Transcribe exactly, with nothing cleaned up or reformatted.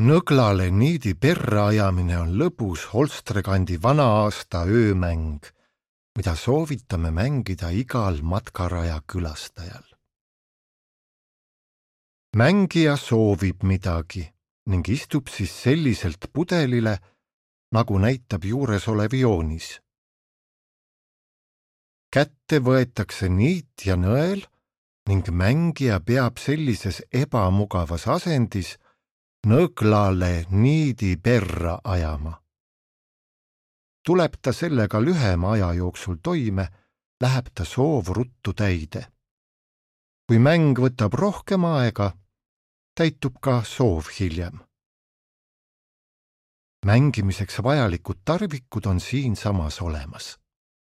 Nõglale niidi perra ajamine on lõbus Holstrekandi vana-aasta öömäng, mida soovitame mängida igal matkaraja külastajal. Mängija soovib midagi ning istub siis selliselt pudelile, nagu näitab juuresolev joonis. Kätte võetakse niit ja nõel ning mängija peab sellises ebamugavas asendis nõglale niidi perra ajama. Tuleb ta sellega lühema aja jooksul toime, läheb ta soov ruttu täide. Kui mäng võtab rohkem aega, täitub ka soov hiljem. Mängimiseks vajalikud tarvikud on siinsamas olemas.